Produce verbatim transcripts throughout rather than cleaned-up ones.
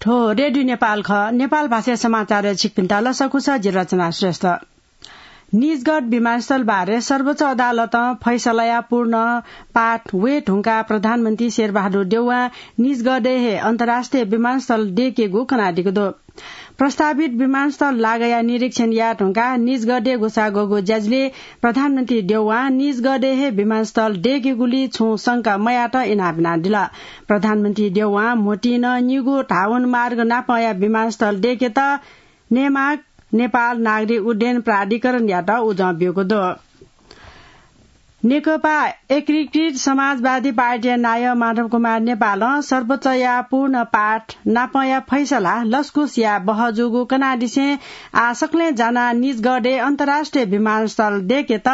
थ्व रेडियो नेपाल खः। नेपाल भाषा समाचार छिकपिन्त लसकुस, जि रचना श्रेष्ठ। निजगढ विमानस्थल बारे सर्वोच्च अदालतं फैसलाया पूर्ण पाठ वये धुंकाः प्रधानमन्त्री शेरबहादुर देउवां निजगढय् हे अन्तर्राष्ट्रिय विमानस्थल देकेगु कनादीगु दु। प्रस्तावित विमानस्थल लागया निरीक्षण याये धुंकाः निजगढय् ग्वसाः ग्वःगु ज्याझ्वलय् प्रधानमन्त्री देउवां निजगढय् हे विमानस्थल देकेगुली छुं शंका मयात इनाप यानादिल। प्रधानमन्त्री देउवां म्होतिं नं निगू धावन मार्ग नापंया विमानस्थल देकेत नेमाक, नेपाल नागरिक उड्डयन प्राधिकरणयात उजं ब्यूगु दु। नेकपा एकीकृत समाजवादी पार्टीया नायः माधव कुमार नेपालं सर्वोच्चया पूर्ण पाठ नापंया फैसला लसकुस याये बहः जूगु कनादिसें आः सकलें जानाः निजगढय् अन्तर्राष्ट्रिय विमानस्थल देकेत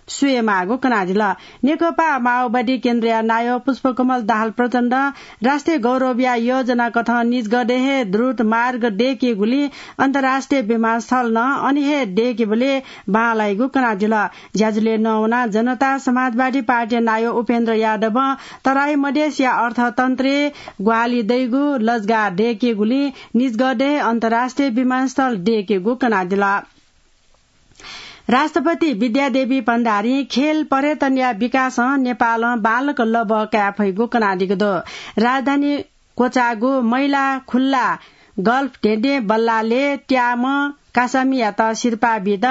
स्वयेमाःगु कनादिल। नेकपा माओवादी केन्द्रया नायः पुष्पकमल दाहाल प्रचण्डं राष्ट्रिय गौरवया योजना कथं निजगढय् हे द्रुत मार्ग देकेगुलिं अन्तर्राष्ट्रिय विमानस्थल नं अन हे देकेबलय् बांलाइगु कनादिल। ज्याझ्वलय् नवानाः जनता समाजवादी पार्टीया नायः उपेन्द्र यादवं तराई मधेसया अर्थतन्त्रय् ग्वाहालि दइगु लजगाः देकेगुलिं निजगढय् अन्तर्राष्ट्रिय विमानस्थल देकेगु कनादिल। राष्ट्रपति विद्यादेवी भण्डारीं खेल पर्यटनया विकासं नेपालं बांलाक लबः काये फइगु कनादीगु दु। राजधानी क्वचाःगु मैला खुल्ला गल्फ धेंधें बल्लालय् त्याःम्ह कासामियात सिरपाः बीत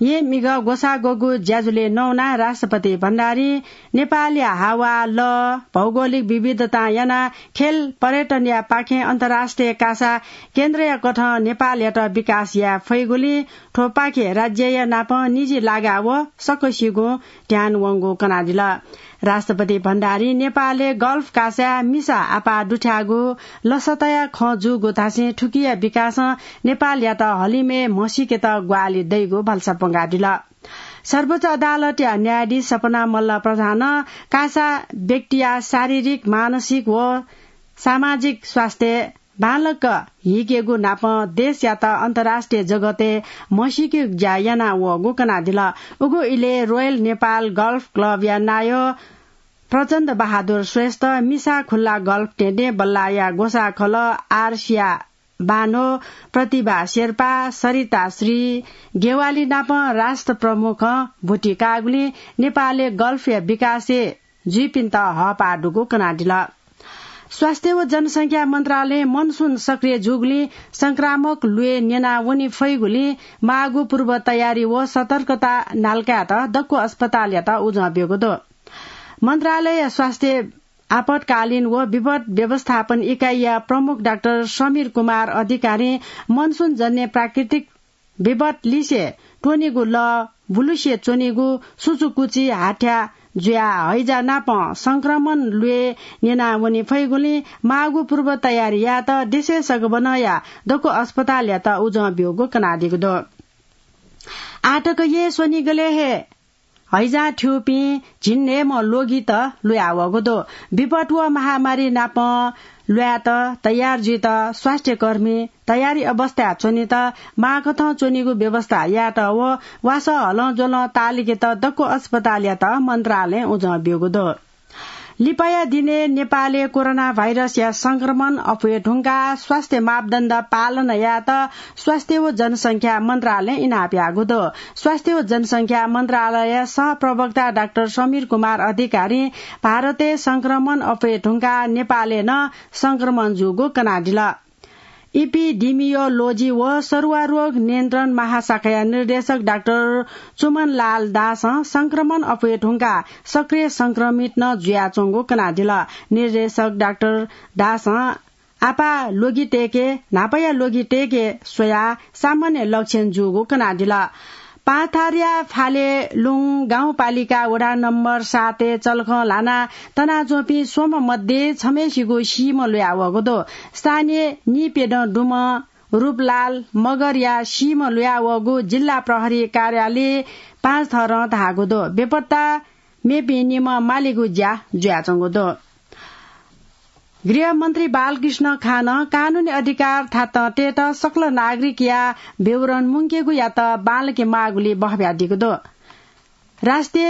येँ म्हिगः ग्वसाः ग्वःगु ज्याझ्वलय् नवानाः राष्ट्रपति भण्डारीं नेपालया हावा, लः, भौगोलिक विविधतां यानाः खेल पर्यटनया पाखें अन्तर्राष्ट्रिय कासा केन्द्रया कथं नेपालयात विकास याये फइगुलिं थ्वपाखे राज्यया नाप निजी लागा व सकसिगुं ध्यान वंगु कनादिल। राष्ट्रपति भण्डारीं नेपालय् गल्फ कासाय् मिसा आपाः दुथ्याःगु लसताया खँ जूगु धासें थुकिया विकासं नेपालयात हलिमय् म्हसीकेत ग्वाहालि दइगु भलसा प्वंकादिल। सर्वोच्च अदालतया न्यायाधीश सपना मल्ल प्रधानं कासा व्यक्तिया शारीरिक, मानसिक व सामाजिक स्वास्थ्य बांलाक हीकेगु नापं देशयात अन्तर्राष्ट्रिय जगतय् म्हसीकेगु ज्या याना वःगु कनादिल। उगु इलय् रोयल नेपाल गल्फ क्लबया नायः प्रचण्ड बहादुर श्रेष्ठ, मिसा खुल्ला गल्फ धेंधें बल्लाया ग्वसाःखलः आर्सिया बानो, प्रतिभा शेर्पा, सरिता श्री गेवाली नाप राष्ट्र प्रमुखं भुति काःगुलिं नेपालय् गल्फया विकासय् जुइपिन्त हःपाः दुगु कनादिल। स्वास्थ्य व जनसंख्या मन्त्रालयं मनसुन सक्रिय जूगुलिं संक्रामक ल्वय् न्यना वने फइगुलिं माःगु पूर्व तयारी व सतर्कता नालाकायेत दक्व अस्पतालयात उजं ब्यूगु दु। मन्त्रालय स्वास्थ्य आपतकालीन व विपद व्यवस्थापन इकाइया प्रमुख डाक्टर समीर कुमार अधिकारीं मनसुन जन्य प्राकृतिक विपद लिसे त्वनीगु लः, बुलुसे च्वनीगु सुचुकुची हाथ्या जुयाः हैजा नाप संक्रमण ल्वय् न्यना वने फइगुलिं माःगु पूर्व तयारी यायेत देशय् सगबनया दक्व अस्पतालयात उजं ब्यूगु कनादीगु दु। आःतक येँ स्वनिगलय् हे हैजा थ्यूपिं झिंन्हय्म्ह ल्वगित ल्वयावःगु दु। विपद व महामारी नाप ल्वायेत तयार जुइत स्वास्थ्यकर्मी तयारी अवस्थाय् च्वनेत माःकथं च्वनीगु व्यवस्था यायेत व वासः हलंज्वलं ताःलिकेत दक्व अस्पतालयात मन्त्रालयं उजं ब्यूगु दु। लिपाया दिनय् नेपालय् कोरोना भाइरसया संक्रमण अप्वये धुंकाः स्वास्थ्य मापदण्ड पालन यायेत स्वास्थ्य व जनसंख्या मन्त्रालयं इनाप याःगु दु। स्वास्थ्य व जनसंख्या मन्त्रालय सहप्रवक्ता डाक्टर समीर कुमार अधिकारीं भारतय् संक्रमण अप्वये धुंकाः नेपालय् नं संक्रमण जूगु कनादिल। इपिडिमियोलोजी व सरुवा रोग नियन्त्रण महाशाखाया निर्देशक डाक्टर चुमनलाल दासं संक्रमण अप्वये धुंकाः सक्रिय संक्रमित नं जुयाच्वंगु कनादिल। निर्देशक डाक्टर दासं आपाः ल्वगितय्के न्हापाया ल्वगितय्के स्वयाः सामान्य लक्षण जूगु कनादिल। पाथरया फालेलुङ गाउँपालिका वडा नम्बर सातय् चलखं ल्हानाः तनाच्वंपिं स्वम्ह मध्ये छम्हय्सिगु सीम्ह ल्वयावःगु दु। स्थानीय नीप्यदँ दुम्ह रूपलाल मगरया सीम्ह ल्वयावःगु जिल्ला प्रहरी कार्यालय पाँचथरं धाःगु दु। बेपत्ता मेपिं निम्ह मालेगु ज्या जुयाच्वंगु दु। गृहमन्त्री बालकृष्ण खानं कानूनी अधिकार थातं तयेत सकल नागरिकया विवरण मुंकेगुयात बांलाके माःगुली बहब्यादीगु दु। राष्ट्रिय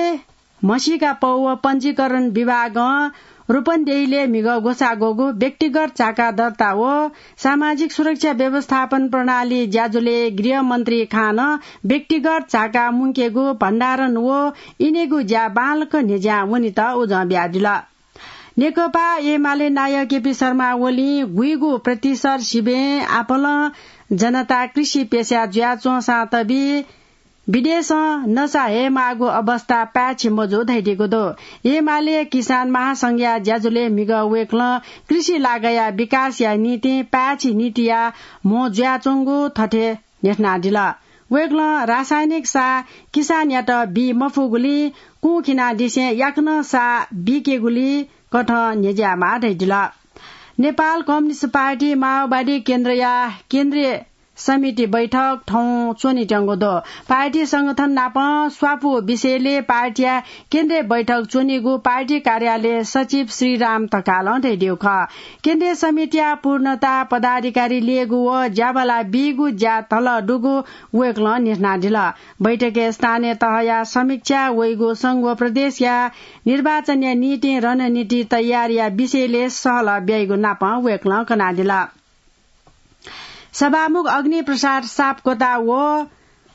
म्हसीका पौ व पञ्जीकरण विभागं रूपन्देहीले म्हिगः ग्वसाः ग्वःगु व्यक्तिगत झाका दर्ता व सामाजिक सुरक्षा व्यवस्थापन प्रणाली ज्याझ्वलय् गृहमन्त्री खां नं व्यक्तिगत झाका मुंकेगु, भण्डारण व इनेगु ज्या बांलाक न्ह्यज्यां वनेत उजं बियादिल। नेकपा एमाले नायः केपी शर्मा ओलीं गुइगु प्रतिशत सिबें आपालं जनता कृषि पेसा जुयाच्वंसां तबि विदेशं नसा हयेमाःगु अवस्था पाय्छि मजू धयादीगु दु। एमाले किसान महासंघया ज्याझ्वलय् म्हिगः वय्कलं कृषि लागःया विकासया निंतिं पाय्छि नीतिया म्हो जुयाच्वंगु थथे न्ह्यथनादिल। वय्कलं रासायनिक साः किसानयात बी मफुगुलिं कुं खिनादिसें याकनं साः बीकेगुलिं कथं न्ह्यज्यायेमाः धयादिल। नेपाल कम्युनिस्ट पार्टी माओवादी केन्द्रया केन्द्रीय समिति बैठक थौं च्वनेत्यंगु दु। पार्टी संगठन नाप स्वापू विषयलय् पार्टीया केन्द्रीय बैठक च्वनीगु पार्टी कार्यालय सचिव श्रीराम ढकालं धयादीगु खः। केन्द्रीय समितिया पूर्णता पदाधिकारी ल्ययेगु व ज्याबला बीगु ज्या धल दुगु वय्कलं न्ह्यथनादिल। बैठकय् स्थानीय तहया समीक्षा, वइगु संघ व प्रदेशया निर्वाचनया निंतिं रणनीति तयारीया विषयलय् सहलह ब्याइगु नाप वय्कलं कनादिल। सभामुख अग्निप्रसाद सापकोटा व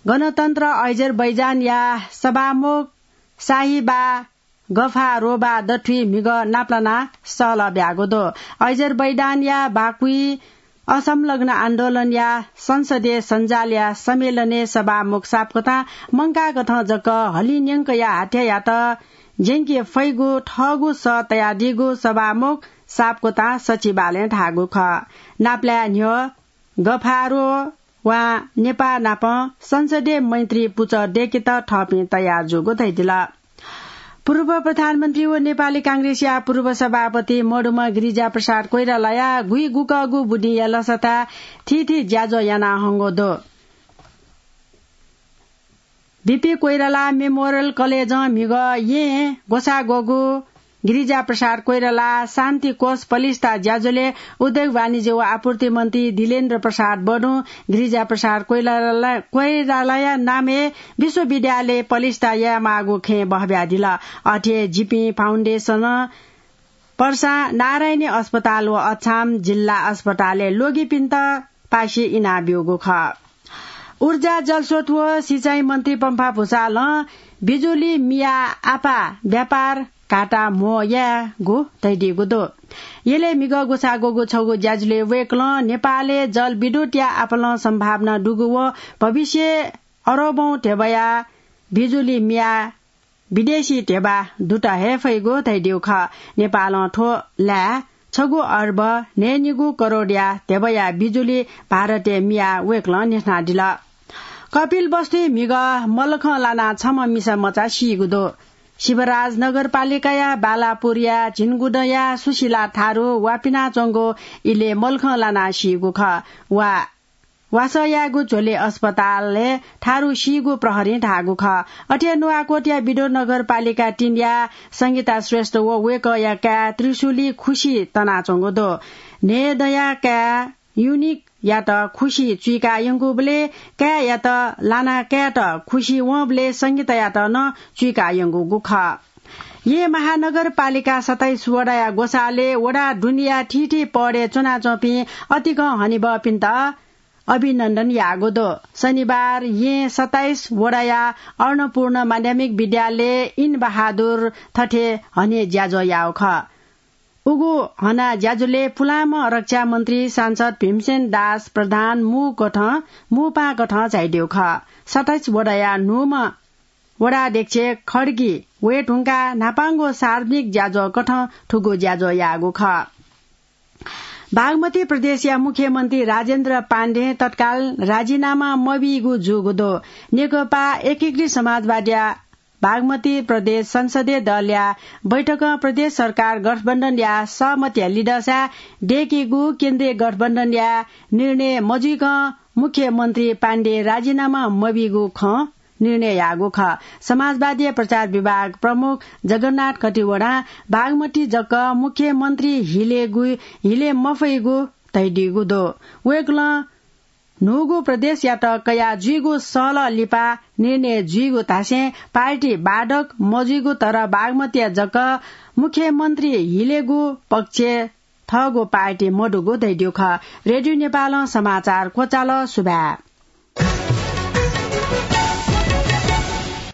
गणतन्त्र अजरबैजानया सभामुख साहिबा गफारोभा दथुइ म्हिगः नापलानाः सहलह ब्याःगु दु। अजरबैजानया बाकुइ असंलग्न आन्दोलनया संसदीय सञ्जालया सम्मेलनय् सभामुख सापकोटां मंकाःकथं जक हलिंन्यंकया हाथ्यायात ज्यंके फइगु थःगु सः तयादीगु सभामुख सापकोटां सचिवालयं धाःगु खः। नापलाये न्ह्यः गफारोभां नेपाः नाप संसदीय मैत्री पुचः दय्केत थःपिं तयार जूगु धयादिल। पूर्व प्रधानमन्त्री व नेपाली कांग्रेसया पूर्व सभापति मदुम्ह गिरिजाप्रसाद कोइरालाया गुइगुकःगु बुदिंया लसताय् थीथी ज्याझ्वः याना हंगु दु। बीपी कोइराला मेमोरियल कलेजं म्हिगः येँ ग्वसाः ग्वःगु गिरिजाप्रसाद कोइराला शान्ति कोष पलिस्था ज्याझ्वलय् उद्योग वाणिज्य व आपूर्ति मन्त्री दिलेन्द्र प्रसाद बडुं गिरिजाप्रसाद कोइराला, कोइरालाया नामय् विश्वविद्यालय पलिस्था यायेमाःगु खँय् बहब्यादिल। अथे जिपिं फाउन्डेसनं पर्सा नारायणी अस्पताल व अछाम जिल्ला अस्पतालय् ल्वगिपिन्त पासे इनाब्यूगु खः। ऊर्जा, जलस्रोत व सिँचाइ मन्त्री पम्फा भुसालं बिजुली मियाः आपाः व्यापार घाटा म्हो यायेगु धयादीगु दु। यलय् म्हिगः ग्वसाः ग्वःगु छगू ज्याझ्वलय् वय्कलं नेपालय् जलविद्युतया आपालं सम्भावना दुगु व भविष्यय् अरबौं ध्यबाया बिजुली मियाः विदेशी ध्यबा दुत हये फइगु धयादीगु खः। नेपालं थ्व लाय् छगू अर्ब न्हय्निगू करोडया ध्यबाया बिजुली भारतय् मियाः वय्कलं न्ह्यथनादिल। कपिलवस्तुइ म्हिगः मल्लखं लानाः छम्ह मिसा मचा सीगु दु। शिवराज नगरपालिकाया बालापुरया झिंगुदँया सुशीला थारु वापिनाच्वंगु इलय् मल्लखं लानाः सीगु खः। वा वासः यायेगु झ्वलय् अस्पतालय् थारु सीगु प्रहरीं धाःगु खः। अथे नुवाकोटया बिदो नगरपालिका तीनया संगीता श्रेष्ठ व वय्कःया काय् त्रिशुली खुसि तनाच्वंगु दु। न्हय्दँया काय् युनिकयात खुसि चुइका यंकूबलय् काय्‌यात लानाः काय्‌यात खुसि वंबलय् संगीतायात नं चुइका यंकूगु खः। येँ महानगरपालिका सत्ताइस वडाया ग्वसालय् वडा दुनेया थीथी पदय् च्वनाच्वंपिं अतिकं हनेबहःपिन्त अभिनन्दन याःगु दु। शनिबार येँ सत्ताइस वडाया अन्नपूर्ण माध्यमिक विद्यालयय् इन बहादुर थथे हने ज्याझ्वः याःगु खः। उगु हना ज्याझ्वलय् पुलांम्ह रक्षा मन्त्री सांसद भीमसेन दास प्रधान मू कथं, मू पाहां कथं झायादीगु खः। सत्ताइस वडाया न्हूम्ह वडाध्यक्ष खड्गी वये धुंकाः न्हापांगु सार्वजनिक ज्याझ्वः कथं थुगु ज्याझ्वः याःगु खः। बागमती प्रदेशया मुख्यमन्त्री राजेन्द्र पाण्डें तत्काल राजीनामा मबीगु जूगु दु। नेकपा एकीकृत समाजवादीया बागमती प्रदेश संसदीय दलया बैठकं प्रदेश सरकार गठबन्धनया सहमतिया लिधंसाय् दय्केगु केन्द्रीय गठबन्धनया निर्णय मजुइकं मुख्यमन्त्री पाण्डे राजीनामा मबीगु खँ निर्णय याःगु खः। समाजवादी प्रचार विभाग प्रमुख जगन्नाथ कटिवडां बागमती जक मुख्यमन्त्री हिलेगु, हिले मफइगु धयादीगु दु। वय्कलं न्हूगु प्रदेशयात कया जुइगु सहलह लिपा निर्णय जुइगु धासें पार्टी बाधक मजुइगु, तर बागमतीया जक मुख्यमन्त्री हिलेगु पक्ष थःगु पार्टी मदुगु धयादिउ खः। रेडियो नेपालं समाचार क्वचाल। सुभाय्।